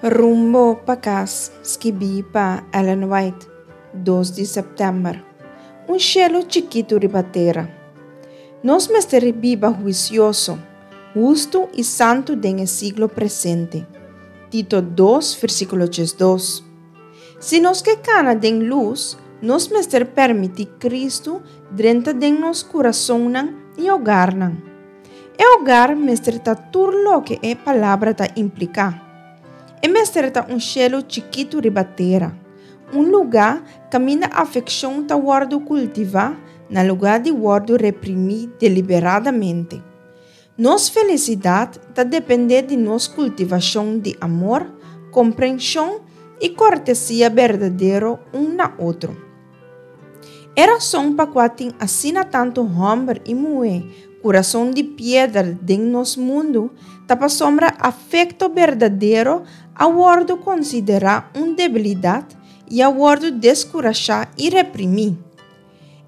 Rumbo pa kas, skibí pa Ellen White, dos di sèptèmber. Un shelu chikitu riba tera. Nos mester biba huisioso, hustu i santu den e siglo presente. Tito dos, versíkulo 12. Si nos ke kana den lus, nos mester permití Kristu drenta den nos kurasonnan i hogarnan. E hogar mester ta tur loke e palabra ta impliká. E mester ta un shelu chikitu riba tera, un lugá kaminda afekshon ta wòrdu kultivá na lugá di wòrdu reprimí deliberadamente. Nos felisidat ta dependé di nos kultivashon di amor, komprenshon i kortesia berdadero un na otro. E rason pa kua tin asina tantu hòmber i muhé kurason di piedra den nos mundu ta pasobra afekto berdadero a wòrdu konsiderá un debilidat i a wòrdu deskurashá i reprimí.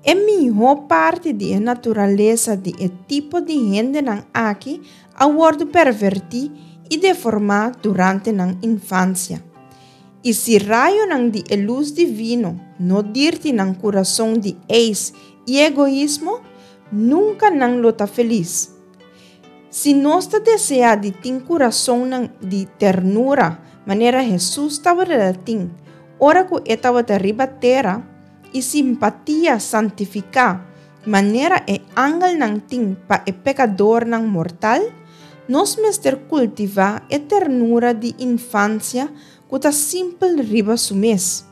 E mihó parti di e naturalesa di e tipo di hendenan aki a wòrdu pervertí i deformá durante nan infansia. I si rayonan di e lus divino no dirti nan kurason di eis i egoismo, nunka nan lo ta felis. Si nos ta deseá di tin kurasonnan di ternura manera Hesus tabata tin ora ku e tabata riba tera i simpatia santifiká manera e angelnan tin pa e pekadornan mortal, nos mester kultivá e ternura di infansia ku ta simpel riba su mes.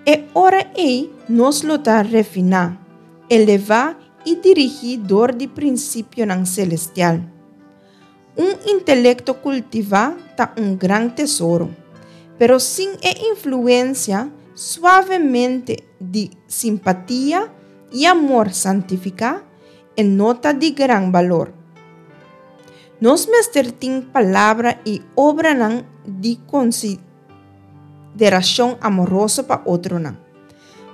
E ora ei nos lo ta refiná, elevá i dirigí dor di prinsipionan selestial. Un intelekto kultivá ta un gran tesoro, pero sin e influensia suavemente di simpatia i amor santifiká, e no ta di gran balor. Nos mester tin palabra i obranan di konsiderashon amoroso pa otronan.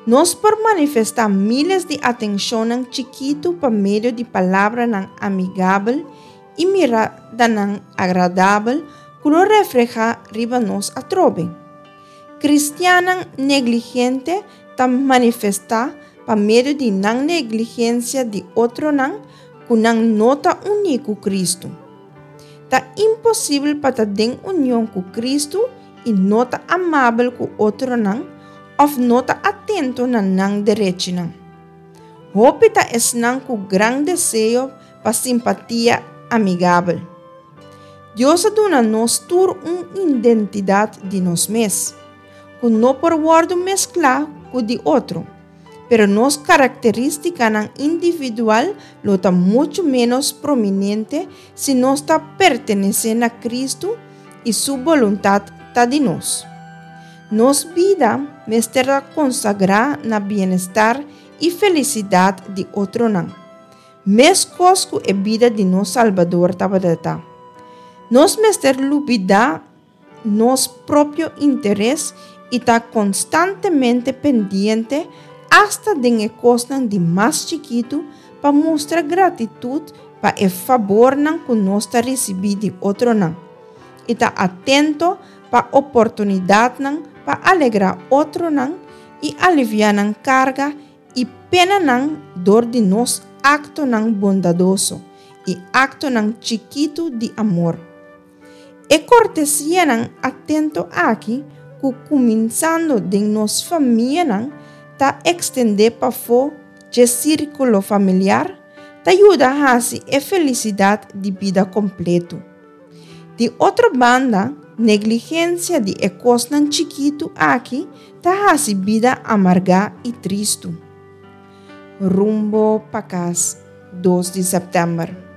Nos por manifestá míles di atenshonnan chikitu pa medio di palabranan amigabel i miradanan agradabel ku lo reflehá riba nos atrobe. Kristiannan negligente ta manifestá pa medio di nan negligensia di otronan ku nan no ta uní ku Kristu. Ta imposibel pa ta den union ku Kristu i no ta amabel ku otronan òf no ta atento na nan derechinan. Hopi ta esnan ku gran deseo pa simpatia amigabel. Dios a duna nos tur un identidat di nos mes, ku no por wòrdu mesklá ku di otro, pero nos karakterístikanan individual lo ta muchu ménos prominente si nos ta pertenesé na Kristu i Su boluntat ta di nos. Nos bida mester ta konsagrá na bienestar i felisidat di otronan. Meskos ku e bida di nos Salbador tabata ta. Nos mester lubidá nos propio interes i ta konstantemente pendiente asta den e kosnan di mas chikitu pa mustra gratitut pa e fabornan ku nos ta risibí di otronan i ta atento pa oportunidatnan pa alegrá otronan i aliviá nan karga i penanan dor di nos aktonan bondadoso i aktonan chikitu di amor. E kortesianan atento aki ku kuminsando den nos famianan ta ekstendé pafó dje sírkulo familiar, ta yuda hasi e felisidat di bida kompletu. Di otro banda, negligensia di e kosnan chikitu aki ta hasi bida amargá i tristu. Rumbo pa kas, dos di sèptèmber.